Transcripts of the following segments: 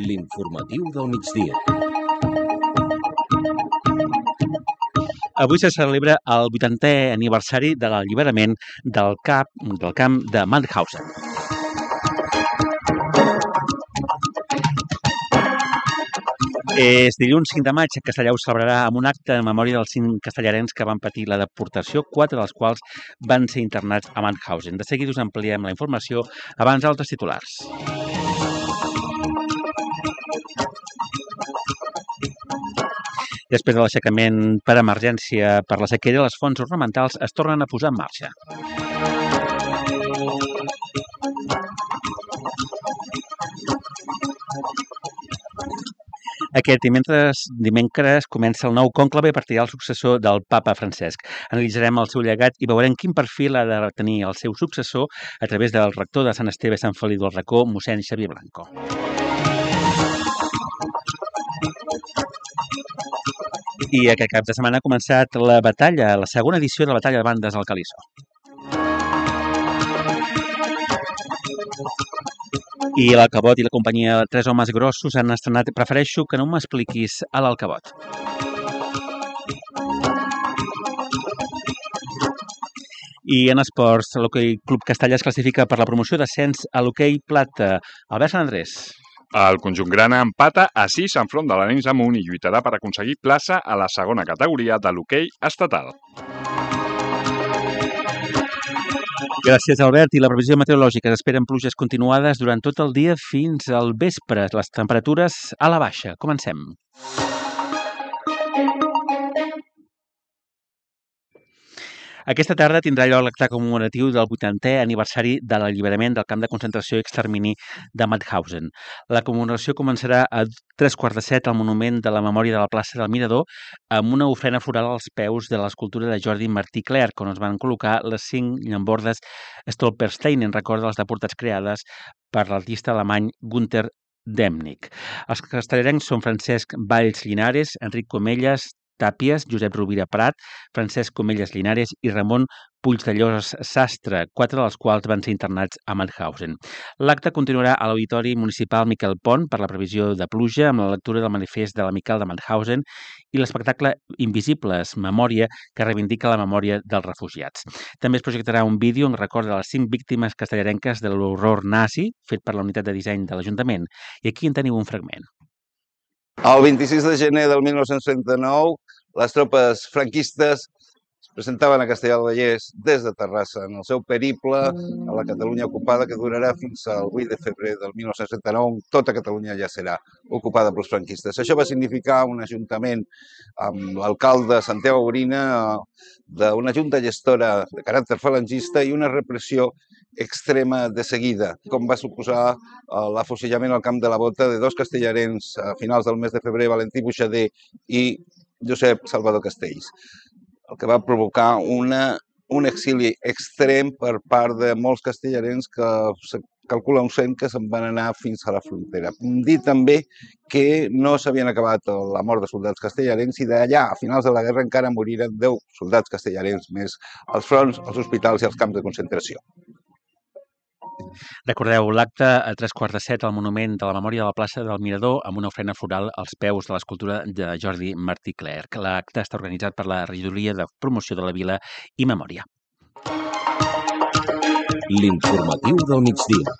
L'informatiu del migdia. Avui se celebra el 80è aniversari de l'alliberament del camp de Mauthausen. És dilluns 5 de maig. Castellà ho celebrarà amb un acte en memòria dels 5 castellarens que van patir la deportació, 4 dels quals van ser internats a Mauthausen. De seguida us ampliem la informació abans d'altres titulars. Després de l'aixecament per emergència per la sequera, les fonts ornamentals es tornen a posar en marxa. Aquest dimecres comença el nou conclave per triar el successor del papa Francesc. Analitzarem el seu llegat i veurem quin perfil ha de tenir el seu successor a través del rector de Sant Esteve Sant Feliu del Racó, mossèn Xavier Blanco. I aquest cap de setmana ha començat la segona edició de la batalla de bandes al Calisó. I l'Alcavot i la companyia Tres Homes Grossos han estrenat Prefereixo que no m'expliquis a l'Alcavot. I en esports, l'Hoquei Club Castellà es classifica per la promoció d'ascens a l'Hoquei Plata. Albert Sant Andrés. El conjunt grana empata a 6 enfront de l'Arenys de Munt i lluitarà per aconseguir plaça a la segona categoria de l'hoquei estatal. Gràcies, Albert. I la previsió meteorològica s'esperen pluges continuades durant tot el dia fins al vespre. Les temperatures a la baixa. Comencem. Aquesta tarda tindrà lloc l'acte commemoratiu del 80è aniversari de l'alliberament del camp de concentració i extermini de Mauthausen. La commemoració començarà a 7:15 al monument de la memòria de la plaça del Mirador amb una ofrena floral als peus de l'escultura de Jordi Martí Clerc, on es van col·locar les 5 llambordes Stolperstein en record de les deportats creades per l'artista alemany Günther Demnig. Els castellarencs són Francesc Valls Linares, Enric Comelles Tàpies, Josep Rovira Prat, Francesc Comelles Linares i Ramon Puigdellós Sastre, 4 dels quals van ser internats a Mauthausen. L'acte continuarà a l'Auditori Municipal Miquel Pont per la previsió de pluja amb la lectura del manifest de l'Amical de Mauthausen i l'espectacle Invisibles, Memòria, que reivindica la memòria dels refugiats. També es projectarà un vídeo en record de les 5 víctimes castellarenques de l'horror nazi fet per la unitat de disseny de l'Ajuntament. I aquí en teniu un fragment. El 26 de gener del 1939, les tropes franquistes es presentaven a Castellar del Vallès des de Terrassa en el seu periple a la Catalunya ocupada que durarà fins al 8 de febrer del 1939. Tota Catalunya ja serà ocupada pels franquistes. Això va significar un ajuntament amb l'alcalde Santiago Gorina d'una junta gestora de caràcter falangista i una repressió extrema de seguida, com va suposar l'afusellament al Camp de la Bota de 2 castellarens a finals del mes de febrer, Valentí Buixader i Josep Salvador Castells, el que va provocar un exili extrem per part de molts castellarens que se calcula uns 100 que se'n van anar fins a la frontera. Dir també que no s'havien acabat la mort de soldats castellarens i d'allà, a finals de la guerra, encara moriren 10 soldats castellarens més als fronts, als hospitals i als camps de concentració. Recordeu l'acte a 7:15 al monument de la memòria de la plaça del Mirador amb una ofrena floral als peus de l'escultura de Jordi Martí Clerc. L'acte està organitzat per la Regidoria de Promoció de la Vila i Memòria. L'informatiu del migdia.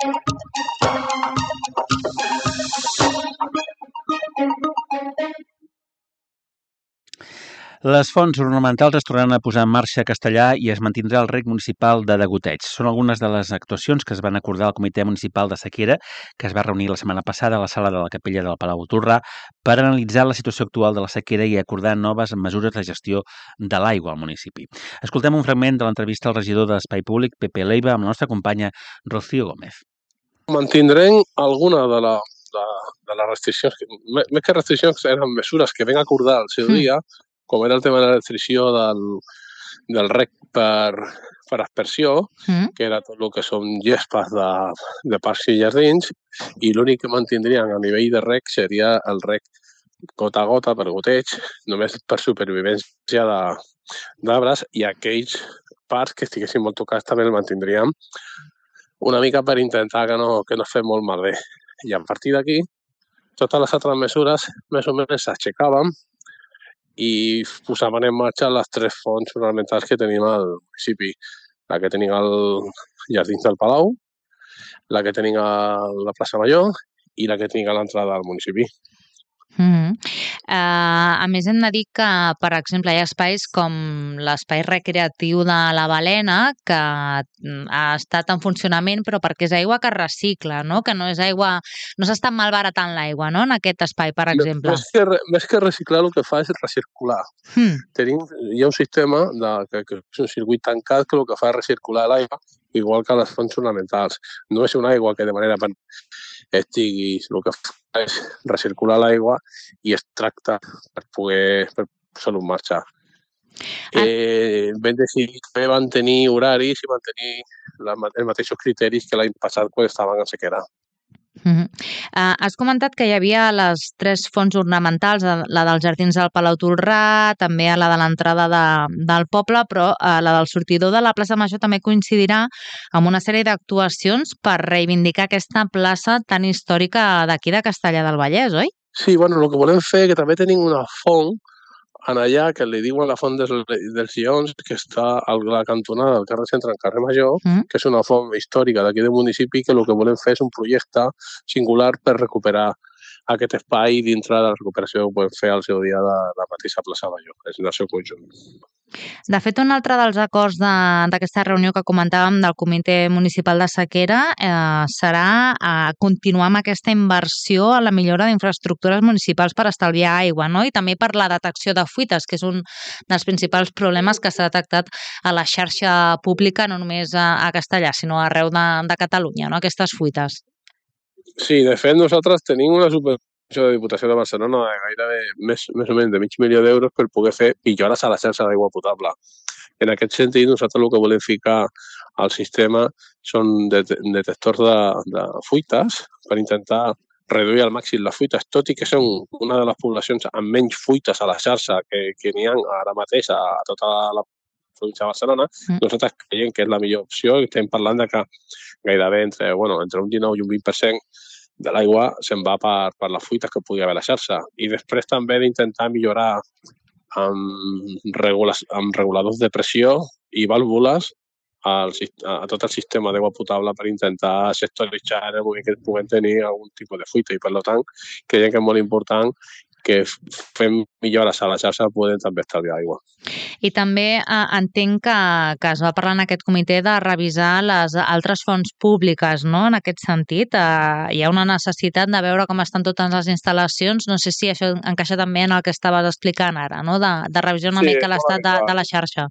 Les fonts ornamentals es tornaran a posar en marxa a Castellà i es mantindrà el rec municipal de degoteig. Són algunes de les actuacions que es van acordar al Comitè Municipal de Sequera, que es va reunir la setmana passada a la sala de la Capella del Palau Tordà per analitzar la situació actual de la sequera i acordar noves mesures de gestió de l'aigua al municipi. Escoltem un fragment de l'entrevista al regidor d'Espai Públic, Pepe Leiva, amb la nostra companya Rocío Gómez. Mantindrem alguna de les restriccions, més que restriccions eren mesures que vam acordar al seu dia, com era el tema de la restricció del rec per aspersió, que era tot el que són gespes de parcs i jardins, i l'únic que mantindrien a nivell de rec seria el rec gota a gota, per goteig, només per supervivència d'arbres, i aquells parcs que estiguessin molt tocats també el mantindríem una mica per intentar que no es fes molt malbé. I a partir d'aquí totes les altres mesures més o menys s'aixecaven i posaven en marxa les 3 fonts ornamentals que tenim al municipi. La que tenim al Jardins del Palau, la que tenim a la plaça Major i la que tenim a l'entrada del municipi. A més, hem de dir que, per exemple, hi ha espais com l'espai recreatiu de la Balena, que ha estat en funcionament, però perquè és aigua que es recicla, no? Que no és aigua... No s'està malbaratant l'aigua, no?, en aquest espai, per exemple. Més que reciclar, el que fa és recircular. Hi ha un sistema, que és un circuit tancat, que el que fa és recircular l'aigua, igual que les fonts ornamentals. No és una aigua que de manera estigui... El que fa és recircular l'aigua i es tracta per posar-lo en marxa. Vam decidir que van tenir horaris i mantenir els mateixos criteris que l'any passat quan estaven en sequera. Has comentat que hi havia les 3 fonts ornamentals, la dels Jardins del Palau Tolrà, també la de l'entrada del poble, però la del sortidor de la plaça Major també coincidirà amb una sèrie d'actuacions per reivindicar aquesta plaça tan històrica d'aquí de Castellar del Vallès, oi? Sí, bueno, el que volem fer, que també tenim una font en allà, que li diuen la font dels Lleons, que està a la cantonada del carrer Centre, en carrer Major, que és una font històrica d'aquí del municipi, que el que volem fer és un projecte singular per recuperar aquest espai dintre de la recuperació que podem fer al seu dia de la mateixa plaça Major, és en el seu conjunt. De fet, un altre dels acords d'aquesta reunió que comentàvem del Comitè Municipal de Sequera serà continuar amb aquesta inversió a la millora d'infraestructures municipals per estalviar aigua, no? I també per la detecció de fuites, que és un dels principals problemes que s'ha detectat a la xarxa pública, no només a Castellar, sinó arreu de Catalunya, no? Aquestes fuites. Sí, de fet, nosaltres tenim una subvenció de Diputació de Barcelona de gairebé més o menys de $500.000 per poder fer millores a la xarxa d'aigua potable. En aquest sentit, nosaltres el que volem ficar al sistema són detectors de fuites per intentar reduir al màxim les fuites, tot i que són una de les poblacions amb menys fuites a la xarxa que n'hi ha ara mateix a tota la província de Barcelona. Nosaltres creiem que és la millor opció i estem parlant de que gairebé entre un 19 i un 20% de l'aigua se'n va per les fuites que pugui haver a la xarxa. I després també d'intentar millorar amb reguladors de pressió i vàlvules a tot el sistema d'aigua potable per intentar sectoritzar el moment que puguem tenir algun tipus de fuita. I, per tant, creiem que és molt important que fem millores a la xarxa podem també estalviar aigua. I també entenc que es va parlar en aquest comitè de revisar les altres fonts públiques, no?, en aquest sentit. Hi ha una necessitat de veure com estan totes les instal·lacions. No sé si això encaixa també en el que estaves explicant ara, no?, de revisar una mica l'estat de la xarxa.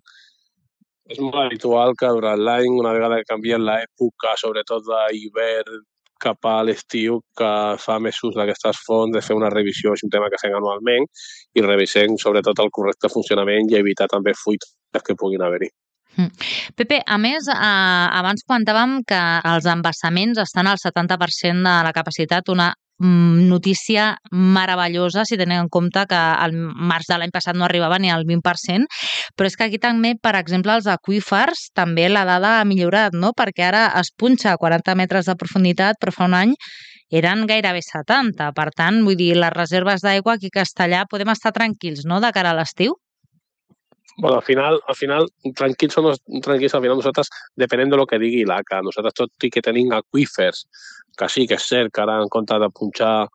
És molt habitual que durant l'any, una vegada que canvien l'època, sobretot d'hivern, cap a l'estiu, que fa més ús d'aquestes fonts, de fer una revisió, és un tema que fem anualment, i revisem sobretot el correcte funcionament i evitar també fuites que puguin haver-hi. Pepe, a més, abans comentàvem que els embassaments estan al 70% de la capacitat, una notícia meravellosa si tenim en compte que al març de l'any passat no arribava ni al 20%, però és que aquí també, per exemple, els aqüífers, també la dada ha millorat, no?, perquè ara es punxa a 40 metres de profunditat, però fa un any eren gairebé 70. Per tant, vull dir, les reserves d'aigua aquí a Castellar podem estar tranquils, no?, de cara a l'estiu? Bueno, al final, tranquils o no tranquils, al final nosaltres, depenent de lo que digui l'ACA, nosaltres tot i que tenim aqüífers, que sí que és cert que ara en compte de punxar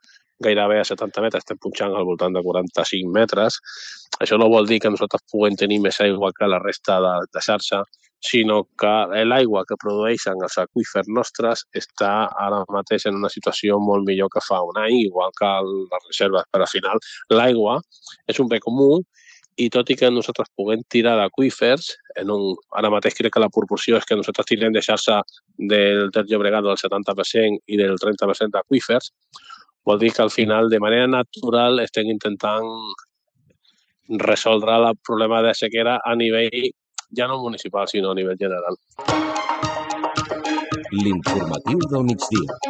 gairebé a 70 metres, estem punxant al voltant de 45 metres, això no vol dir que nosaltres puguem tenir més aigua que la resta de xarxa, sinó que l'aigua que produeixen els aqüífers nostres està ara mateix en una situació molt millor que fa un any, igual que les reserves, però al final l'aigua és un bé comú i tot i que nosaltres puguem tirar d'aqüífers, ara mateix crec que la proporció és que nosaltres tirem de xarxa del Ter Llobregat del 70% i del 30% d'aqüífers, vol dir que al final, de manera natural, estem intentant resoldre el problema de sequera a nivell ja no municipal, sinó a nivell general. L'informatiu del migdia.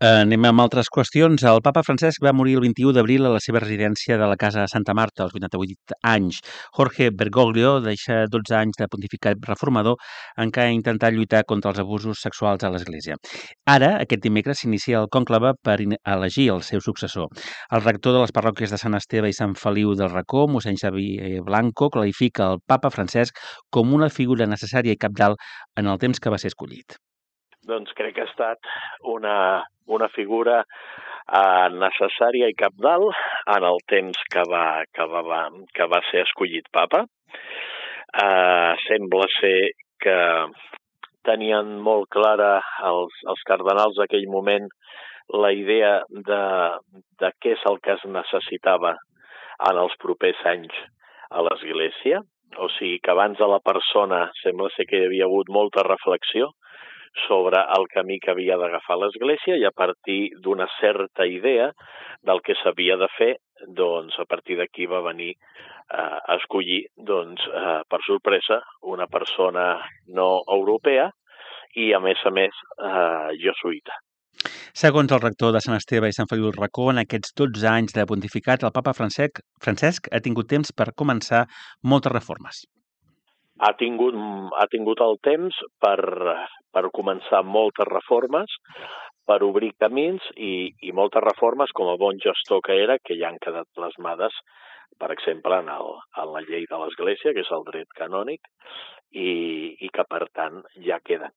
Anem amb altres qüestions. El papa Francesc va morir el 21 d'abril a la seva residència de la Casa Santa Marta, als 88 anys. Jorge Bergoglio deixa 12 anys de pontificat reformador en què ha intentat lluitar contra els abusos sexuals a l'Església. Ara, aquest dimecres, s'inicia el cònclave per elegir el seu successor. El rector de les parròquies de Sant Esteve i Sant Feliu del Racó, mossèn Xavier Blanco, qualifica el papa Francesc com una figura necessària i cabdal en el temps que va ser escollit. Doncs crec que ha estat una figura necessària i cabdal en el temps que va ser escollit papa. Sembla ser que tenien molt clara els cardenals d'aquell moment la idea de què és el que es necessitava en els propers anys a l'Església. O sigui que abans de la persona sembla ser que hi havia hagut molta reflexió sobre el camí que havia d'agafar l'Església i a partir d'una certa idea del que s'havia de fer, doncs a partir d'aquí va venir a escollir, doncs, per sorpresa, una persona no europea i, a més, jesuïta. Segons el rector de Sant Esteve i Sant Feliu del Racó, en aquests 12 anys de pontificat, el papa Francesc ha tingut temps per començar moltes reformes. Ha tingut el temps per començar moltes reformes, per obrir camins i moltes reformes com a bon gestor que era, que ja han quedat plasmades, per exemple, en la llei de l'Església, que és el dret canònic, i que, per tant, ja queden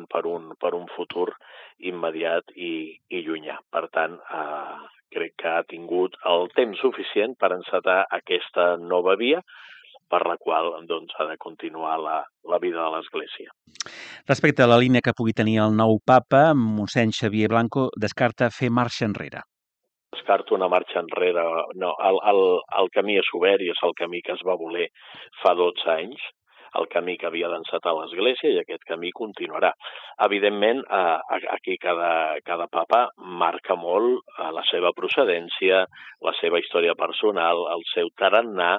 per un futur immediat i llunyà. Per tant, crec que ha tingut el temps suficient per encetar aquesta nova via, per la qual doncs, ha de continuar la vida de l'Església. Respecte a la línia que pugui tenir el nou papa, mossèn Xavier Blanco descarta fer marxa enrere. Descarto una marxa enrere. No, el camí és obert i és el camí que es va voler fa 12 anys, el camí que havia d'encetar l'Església i aquest camí continuarà. Evidentment, aquí cada papa marca molt la seva procedència, la seva història personal, el seu tarannà,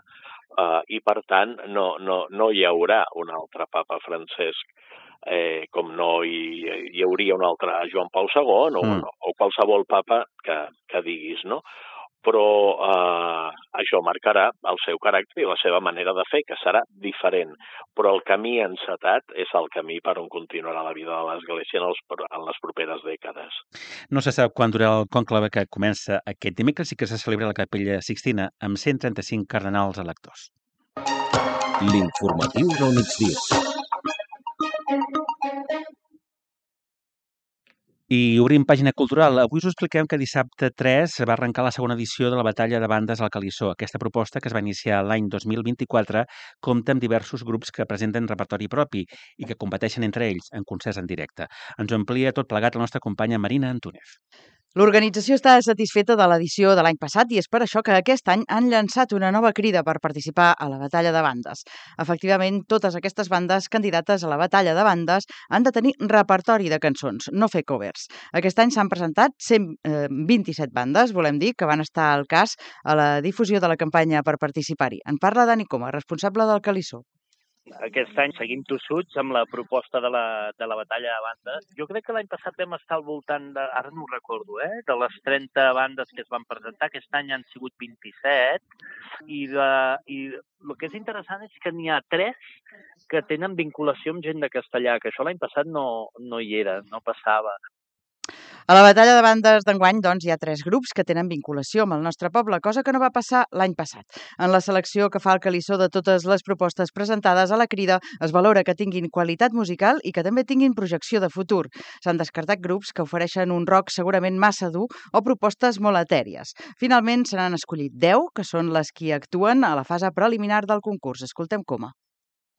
i per tant no hi haurà un altre papa Francesc com no hi hauria un altre Joan Pau II o qualsevol papa que diguis, no? Però això marcarà el seu caràcter i la seva manera de fer, que serà diferent. Però el camí encetat és el camí per on continuarà la vida de l'Església en les properes dècades. No se sap quan durarà el conclave que comença aquest dimecres i que se celebra a la Capella Sixtina amb 135 cardenals electors. L'informatiu del migdia. I obrim pàgina cultural. Avui us expliquem que dissabte 3 va arrencar la segona edició de la Batalla de Bandes al Calissó. Aquesta proposta, que es va iniciar l'any 2024, compta amb diversos grups que presenten repertori propi i que competeixen entre ells en concerts en directe. Ens ho amplia tot plegat la nostra companya Marina Antúnez. L'organització està satisfeta de l'edició de l'any passat i és per això que aquest any han llançat una nova crida per participar a la batalla de bandes. Efectivament, totes aquestes bandes candidates a la batalla de bandes han de tenir repertori de cançons, no fer covers. Aquest any s'han presentat 127 bandes, volem dir, que van estar al cas a la difusió de la campanya per participar-hi. En parla Dani Coma, responsable del Calissó. Aquest any seguim tossuts amb la proposta de la batalla de bandes. Jo crec que l'any passat vam estar al voltant de, ara no ho recordo, de les 30 bandes que es van presentar. Aquest any han sigut 27 i el que és interessant és que n'hi ha 3 que tenen vinculació amb gent de castellà, que això l'any passat no hi era, no passava. A la batalla de bandes d'enguany, doncs, hi ha 3 grups que tenen vinculació amb el nostre poble, cosa que no va passar l'any passat. En la selecció que fa el Calissó de totes les propostes presentades a la crida es valora que tinguin qualitat musical i que també tinguin projecció de futur. S'han descartat grups que ofereixen un rock segurament massa dur o propostes molt etèries. Finalment, se n'han escollit 10, que són les que actuen a la fase preliminar del concurs. Escoltem Coma.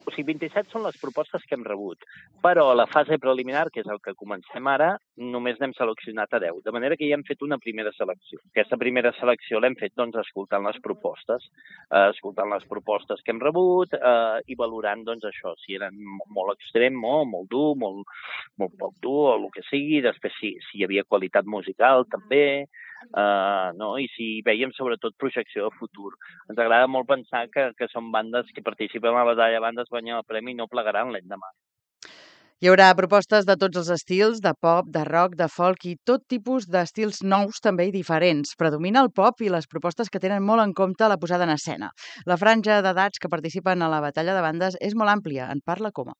O sigui, 27 són les propostes que hem rebut, però a la fase preliminar, que és el que comencem ara, només n'hem seleccionat a 10, de manera que ja hem fet una primera selecció. Aquesta primera selecció l'hem fet doncs, escoltant les propostes que hem rebut i valorant doncs, això, si eren molt extrem o molt dur, molt poc dur o el que sigui, després si hi havia qualitat musical també, i si veiem sobretot projecció de futur. Ens agrada molt pensar que són bandes que participen a la batalla de bandes, guanyen el premi i no plegaran l'endemà. Hi haurà propostes de tots els estils, de pop, de rock, de folk i tot tipus d'estils nous també i diferents. Predomina el pop i les propostes que tenen molt en compte la posada en escena. La franja d'edats que participen a la batalla de bandes és molt àmplia, en parla Coma.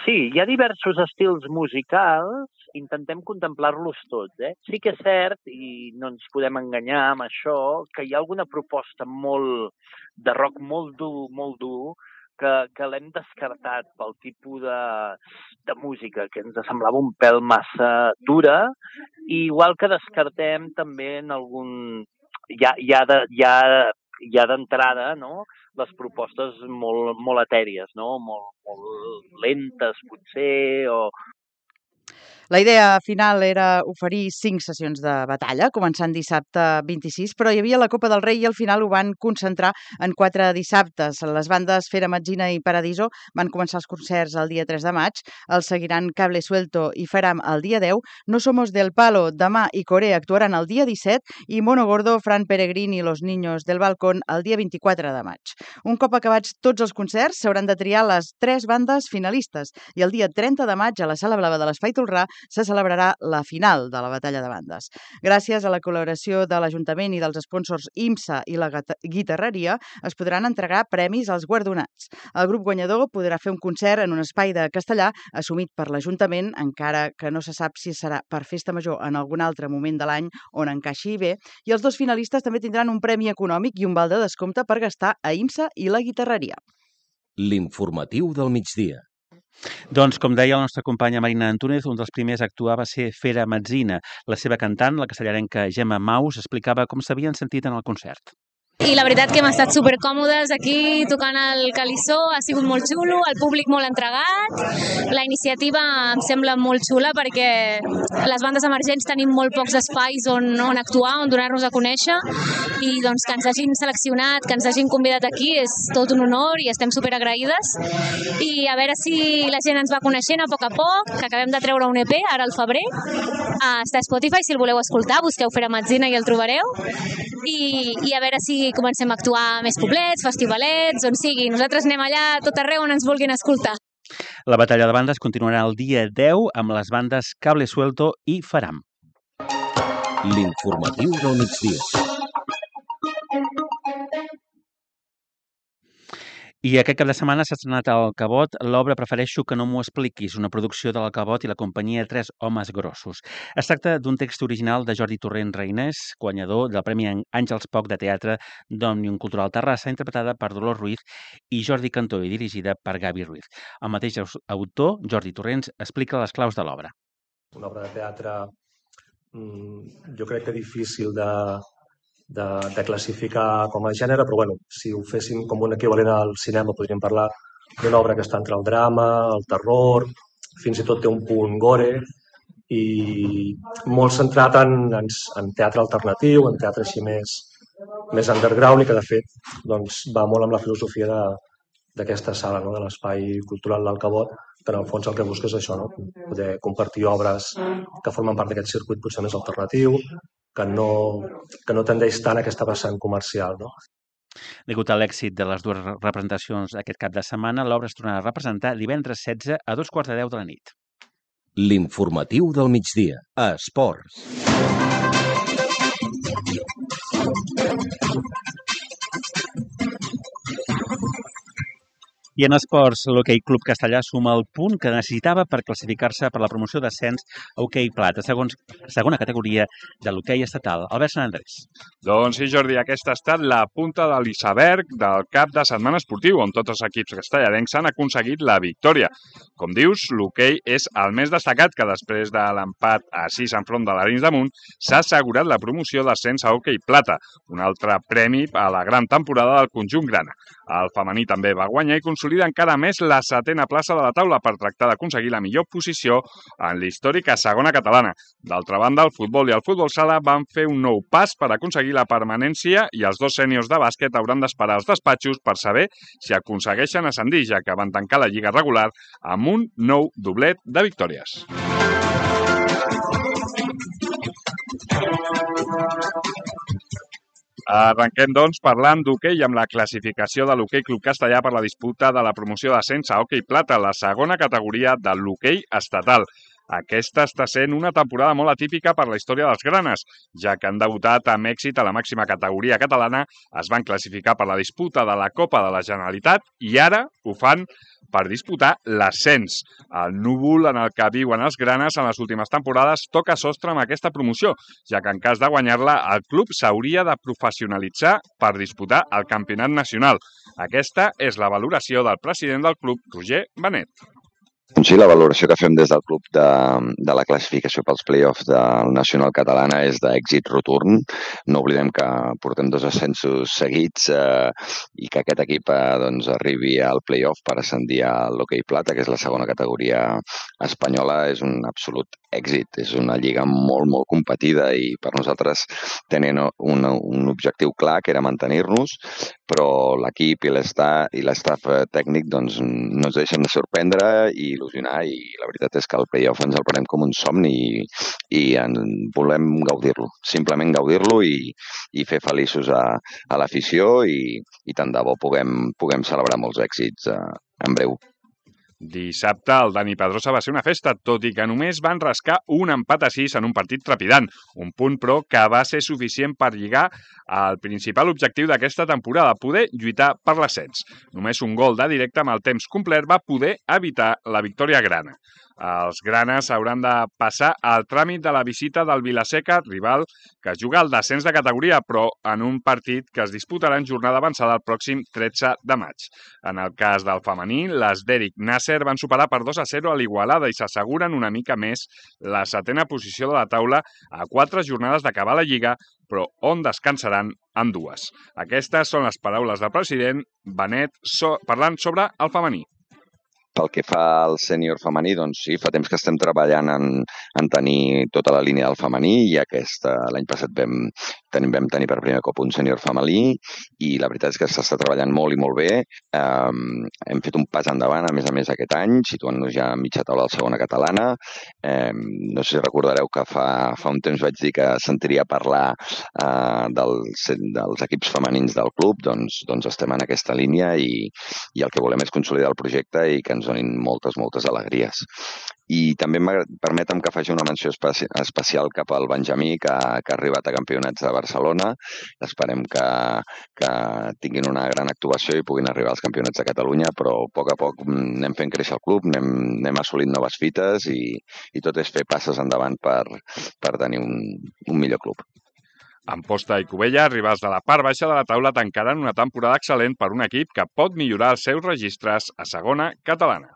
Sí, hi ha diversos estils musicals, intentem contemplar-los tots. Sí que és cert, i no ens podem enganyar amb això, que hi ha alguna proposta de rock molt dur, que l'hem descartat pel tipus de música, que ens semblava un pèl massa dura, i igual que descartem també en algun... Ja d'entrada, no?, les propostes molt etèries, no?, molt lentes, potser, o... La idea final era oferir 5 sessions de batalla, començant dissabte 26, però hi havia la Copa del Rei i al final ho van concentrar en 4 dissabtes. Les bandes Fera Metzina i Paradiso van començar els concerts el dia 3 de maig, els seguiran Cable Suelto i Faram el dia 10, No Somos del Palo demà i Corea actuaran el dia 17 i Mono Gordo, Fran Peregrín i Los Niños del Balcón el dia 24 de maig. Un cop acabats tots els concerts, s'hauran de triar les 3 bandes finalistes i el dia 30 de maig a la Sala Blava de l'Espai Tolrà se celebrarà la final de la batalla de bandes. Gràcies a la col·laboració de l'Ajuntament i dels sponsors IMSA i la Guitarreria, es podran entregar premis als guardonats. El grup guanyador podrà fer un concert en un espai de castellà assumit per l'Ajuntament, encara que no se sap si serà per Festa Major en algun altre moment de l'any on encaixi bé, i els 2 finalistes també tindran un premi econòmic i un val de descompte per gastar a IMSA i la Guitarreria. L'informatiu del migdia. Doncs, com deia la nostra companya Marina Antúnez, un dels primers a actuar va ser Fera Metzina. La seva cantant, la castellarenca Gemma Maus, explicava com s'havien sentit en el concert. I la veritat que hem estat supercòmodes aquí tocant el Calissó, ha sigut molt xulo, el públic molt entregat, la iniciativa em sembla molt xula perquè les bandes emergents tenim molt pocs espais on actuar, on donar-nos a conèixer, i doncs que ens hagin seleccionat, que ens hagin convidat aquí és tot un honor i estem superagraïdes, i a veure si la gent ens va coneixent a poc, que acabem de treure un EP ara al febrer, està a Spotify, si el voleu escoltar, busqueu Fera Metzina i el trobareu, i a veure si comencem a actuar més poblets, festivalets, on sigui. Nosaltres anem allà tot arreu on ens vulguin escoltar. La batalla de bandes continuarà el dia 10 amb les bandes Cable Suelto i Faram. L'informatiu del migdia. I aquest cap de setmana s'ha estrenat al Cabot l'obra Prefereixo que no m'ho expliquis, una producció de la Cabot i la companyia Tres Homes Grossos. Es tracta d'un text original de Jordi Torrent Reinés, guanyador del Premi Àngels Poc de Teatre d'Òmnium Cultural Terrassa, interpretada per Dolors Ruiz i Jordi Cantó i dirigida per Gavi Ruiz. El mateix autor, Jordi Torrents, explica les claus de l'obra. Una obra de teatre, jo crec que difícil de classificar com a gènere, però bueno, si ho féssim com un equivalent al cinema podríem parlar d'una obra que està entre el drama, el terror, fins i tot té un punt gore i molt centrat en teatre alternatiu, en teatre així més underground i que de fet doncs, va molt amb la filosofia d'aquesta sala, no? De l'espai cultural del Cabot, que en el fons el que busca és això, no? Poder compartir obres que formen part d'aquest circuit potser més alternatiu, que no tendeix tant a aquesta vessant comercial, no? Degut a l'èxit de les 2 representacions aquest cap de setmana, l'obra es tornarà a representar divendres 16 a 2:15 de la nit. L'informatiu del migdia. A Esports. I en esports, l'Hoquei Club Castellà suma el punt que necessitava per classificar-se per la promoció d'ascens a Hoquei Plata, segona categoria de l'hoquei estatal. Albert Sant Andrés. Doncs sí, Jordi, aquesta ha estat la punta de l'iceberg del cap de setmana esportiu, on tots els equips castellarencs han aconseguit la victòria. Com dius, l'hoquei és el més destacat que després de l'empat a 6 enfront de l'Arenys de Munt s'ha assegurat la promoció d'ascens a Hoquei Plata, un altre premi a la gran temporada del conjunt grana. El femení també va guanyar i consolida encara més la 7a plaça de la taula per tractar d'aconseguir la millor posició en l'històrica segona catalana. D'altra banda, el futbol i el futbol sala van fer un nou pas per aconseguir la permanència i els 2 sèniors de bàsquet hauran d'esperar als despatxos per saber si aconsegueixen ascendir, ja que van tancar la lliga regular amb un nou doblet de victòries. Arrenquem, doncs, parlant d'hoquei amb la classificació de l'Hoquei Club Castellà per la disputa de la promoció d'ascens a hoquei plata, la segona categoria de l'hoquei estatal. Aquesta està sent una temporada molt atípica per la història dels granes, ja que han debutat amb èxit a la màxima categoria catalana, es van classificar per la disputa de la Copa de la Generalitat i ara ho fan per disputar l'ascens. El núvol en el que viuen els granes en les últimes temporades toca sostre amb aquesta promoció, ja que en cas de guanyar-la, el club s'hauria de professionalitzar per disputar el campionat nacional. Aquesta és la valoració del president del club, Roger Benet. Sí, la valoració que fem des del club de la classificació pels play-offs del Nacional Catalana és d'èxit rotund. No oblidem que portem 2 ascensos seguits i que aquest equip arribi al play-off per ascendir a l'hoquei plata, que és la segona categoria espanyola, és un absolut èxit. És una lliga molt, molt competida i per nosaltres tenen un objectiu clar, que era mantenir-nos, però l'equip i l'estaf tècnic no ens deixen de sorprendre i il·lusionar, i la veritat és que el play-off ens el prenem com un somni i volem gaudir-lo, simplement gaudir-lo i fer feliços a l'afició i tant de bo puguem celebrar molts èxits en breu. Dissabte el Dani Pedrosa va ser una festa, tot i que només van rascar un empat a 6 en un partit trepidant. Un punt, però, que va ser suficient per lligar al principal objectiu d'aquesta temporada, poder lluitar per l'ascens. Només un gol de directe amb el temps complet va poder evitar la victòria grana. Els granes hauran de passar al tràmit de la visita del Vilaseca, rival que juga al descens de categoria, però en un partit que es disputarà en jornada avançada el pròxim 13 de maig. En el cas del femení, les d'Eric Nasser van superar per 2-0 a l'Igualada i s'asseguren una mica més la 7a posició de la taula a 4 jornades d'acabar la Lliga, però on descansaran en 2. Aquestes són les paraules del president Benet parlant sobre el femení. Pel que fa al sènior femení, doncs sí, fa temps que estem treballant en tenir tota la línia del femení i l'any passat vam tenir per primer cop un sènior femení i la veritat és que s'està treballant molt i molt bé. Hem fet un pas endavant, a més aquest any, situant-nos ja a mitja taula de la segona catalana. No sé si recordareu que fa un temps vaig dir que sentiria parlar dels equips femenins del club, doncs estem en aquesta línia i el que volem és consolidar el projecte i que ens donin moltes alegries. I també permetem que faci una menció especial cap al Benjamí, que ha arribat a campionats de Barcelona. Esperem que tinguin una gran actuació i puguin arribar als campionats de Catalunya, però a poc anem fent créixer el club, anem assolint noves fites i tot és fer passes endavant per tenir un millor club. Amposta i Cubella, rivals de la part baixa de la taula, tancaran una temporada excel·lent per un equip que pot millorar els seus registres a segona catalana.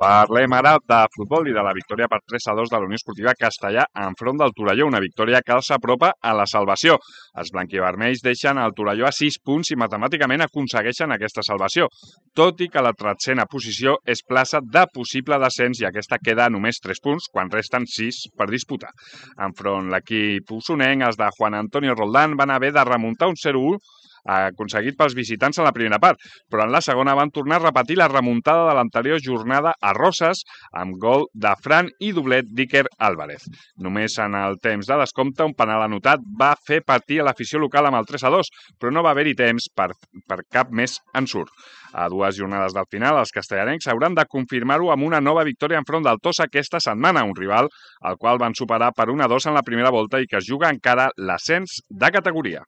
Parlem ara de futbol i de la victòria per 3-2 de la Unió Esportiva Castellà enfront del Torelló, una victòria que els apropa a la salvació. Els blanquivermells deixen el Torelló a 6 punts i matemàticament aconsegueixen aquesta salvació, tot i que la 13a posició és plaça de possible descens i aquesta queda a només 3 punts quan resten 6 per disputar. Enfront l'equip usonenc, els de Juan Antonio Roldán van haver de remuntar un 0-1 aconseguit pels visitants en la primera part, però en la segona van tornar a repetir la remuntada de l'anterior jornada a Roses amb gol de Fran i doblet d'Iker Álvarez. Només en el temps de descompte un penal anotat va fer partir a l'afició local amb el 3-2, però no va haver-hi temps per cap més ensurt. A 2 jornades del final, els castellarencs hauran de confirmar-ho amb una nova victòria enfront del Tossa aquesta setmana, un rival al qual van superar per 1-2 en la primera volta i que es juga encara l'ascens de categoria.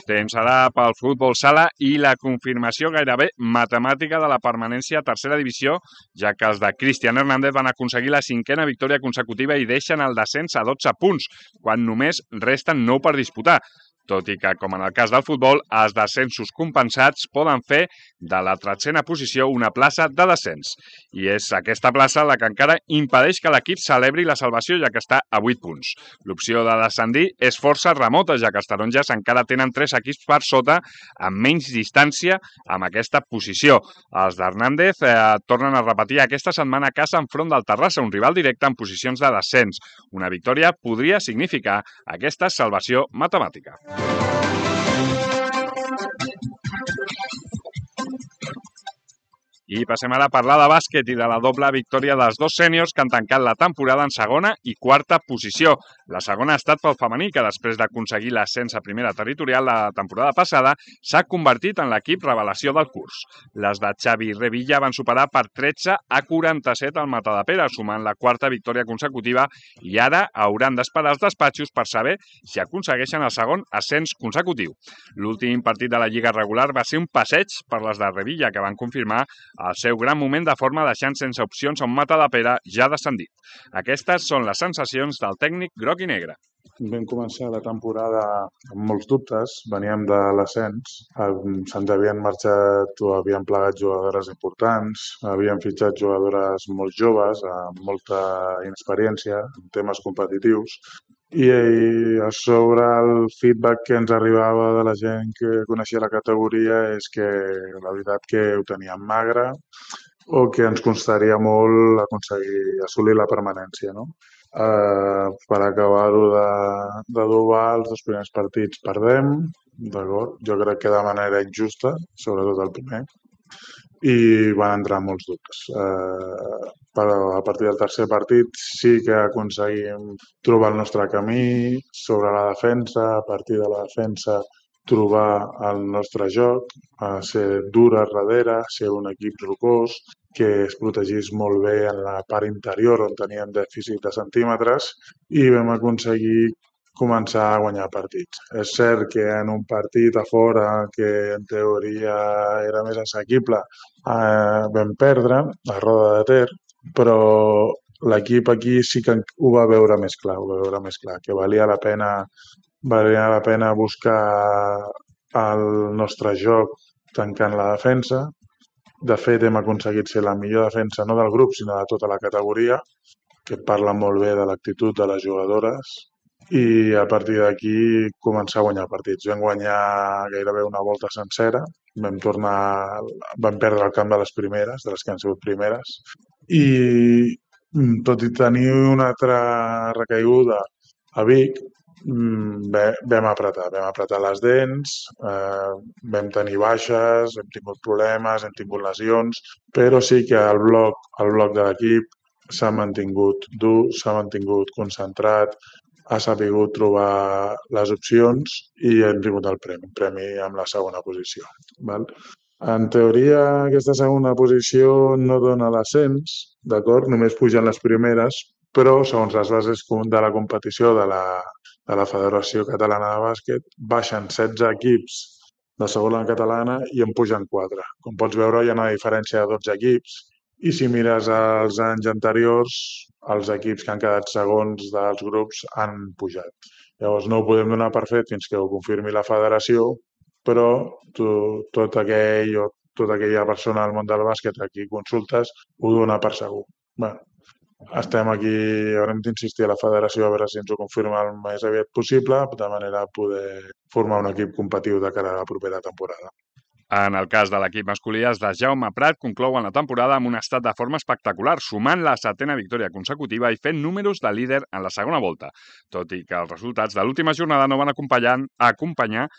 Temps ara pel futbol sala i la confirmació gairebé matemàtica de la permanència a tercera divisió, ja que els de Cristian Hernández van aconseguir la 5a victòria consecutiva i deixen el descens a 12 punts, quan només resten 9 per disputar. Tot i que, com en el cas del futbol, els descensos compensats poden fer de la 13a posició una plaça de descens. I és aquesta plaça la que encara impedeix que l'equip celebri la salvació, ja que està a 8 punts. L'opció de descendir és força remota, ja que els taronges encara tenen 3 equips per sota amb menys distància amb aquesta posició. Els d'Hernández tornen a repetir aquesta setmana a casa enfront del Terrassa, un rival directe en posicions de descens. Una victòria podria significar aquesta salvació matemàtica. I passem ara a parlar de bàsquet i de la doble victòria dels dos sèniors que han tancat la temporada en segona i quarta posició. La segona ha estat pel femení, que després d'aconseguir l'ascens a primera territorial la temporada passada s'ha convertit en l'equip revelació del curs. Les de Xavi Revilla van superar per 13 a 47 al Matadepera, sumant la quarta victòria consecutiva, i ara hauran d'esperar els despatxos per saber si aconsegueixen el segon ascens consecutiu. L'últim partit de la Lliga regular va ser un passeig per les de Revilla, que van confirmar el seu gran moment de forma deixant sense opcions a un Matadepera ja descendit. Aquestes són les sensacions del tècnic groc i negre. Vam començar la temporada amb molts dubtes, veníem de l'ascens, se'ns havien marxat o havien plegat jugadores importants, havien fitxat jugadores molt joves, amb molta inexperiència en temes competitius, i a sobre el feedback que ens arribava de la gent que coneixia la categoria és que la veritat que ho teníem magre o que ens costaria molt aconseguir assolir la permanència, no? Per acabar-ho de dobar, els dos primers partits perdem, d'acord? Jo crec que de manera injusta, sobretot el primer, i van entrar molts dubtes. Però a partir del tercer partit sí que aconseguim trobar el nostre camí sobre la defensa, a partir de la defensa trobar el nostre joc, ser dures darrere, ser un equip rocós, que es protegís molt bé en la part interior on teníem dèficit de centímetres i vam aconseguir començar a guanyar partits. És cert que en un partit a fora que en teoria era més assequible vam perdre a Roda de Ter, però l'equip aquí sí que ho va veure més clar, que valia la pena buscar el nostre joc tancant la defensa. De fet, hem aconseguit ser la millor defensa no del grup, sinó de tota la categoria, que parla molt bé de l'actitud de les jugadores, i a partir d'aquí començar a guanyar partits. Vam guanyar gairebé una volta sencera, vam perdre el camp de les primeres, de les que han sigut primeres, i tot i tenir una altra recaiguda a Vic, vam apretar les dents, vam tenir baixes, hem tingut problemes, hem tingut lesions, però sí que el bloc de l'equip s'ha mantingut dur, s'ha mantingut concentrat, ha sabut trobar les opcions i hem tingut el premi amb la segona posició. En teoria, aquesta segona posició no dona l'ascens, d'acord? Només pugen les primeres, però segons les bases de la competició de la Federació Catalana de Bàsquet, baixen 16 equips de segona catalana i en pugen 4. Com pots veure, hi ha una diferència de 12 equips i si mires els anys anteriors, els equips que han quedat segons dels grups han pujat. Llavors no ho podem donar per fet fins que ho confirmi la federació, però tota aquella persona del món del bàsquet a qui consultes ho dona per segur. Estem aquí, haurem d'insistir a la federació a veure si ens ho confirma el més aviat possible, de manera a poder formar un equip competitiu de cara a la propera temporada. En el cas de l'equip masculí, els de Jaume Prat conclouen la temporada amb un estat de forma espectacular, sumant la 7ª victòria consecutiva i fent números de líder en la segona volta, tot i que els resultats de l'última jornada no van acompanyar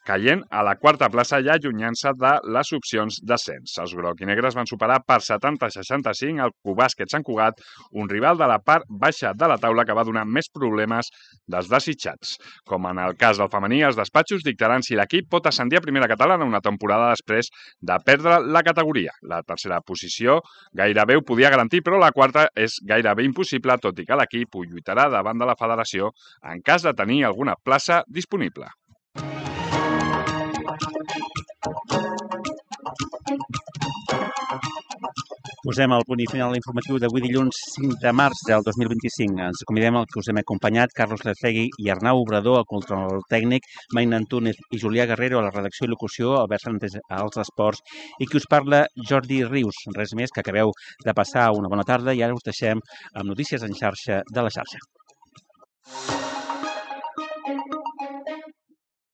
caient a la 4a plaça i allunyant-se de les opcions d'ascens. Els groc i negres van superar per 70-65 el Cubàsquet Sant Cugat, un rival de la part baixa de la taula que va donar més problemes dels desitjats. Com en el cas del femení, els despatxos dictaran si l'equip pot ascendir a primera catalana una temporada després de perdre la categoria. La tercera posició gairebé ho podia garantir, però la quarta és gairebé impossible, tot i que l'equip ho lluitarà davant de la federació en cas de tenir alguna plaça disponible. Posem el punt i final informatiu d'avui dilluns 5 de març del 2025. Ens convidem al que us hem acompanyat Carlos Lecegui i Arnau Obrador, al control tècnic, Maina Antúnez i Julià Guerrero a la redacció i locució, Albert Santes als esports i qui us parla Jordi Rius. Res més, que acabeu de passar una bona tarda i ara us deixem amb notícies en xarxa de la xarxa.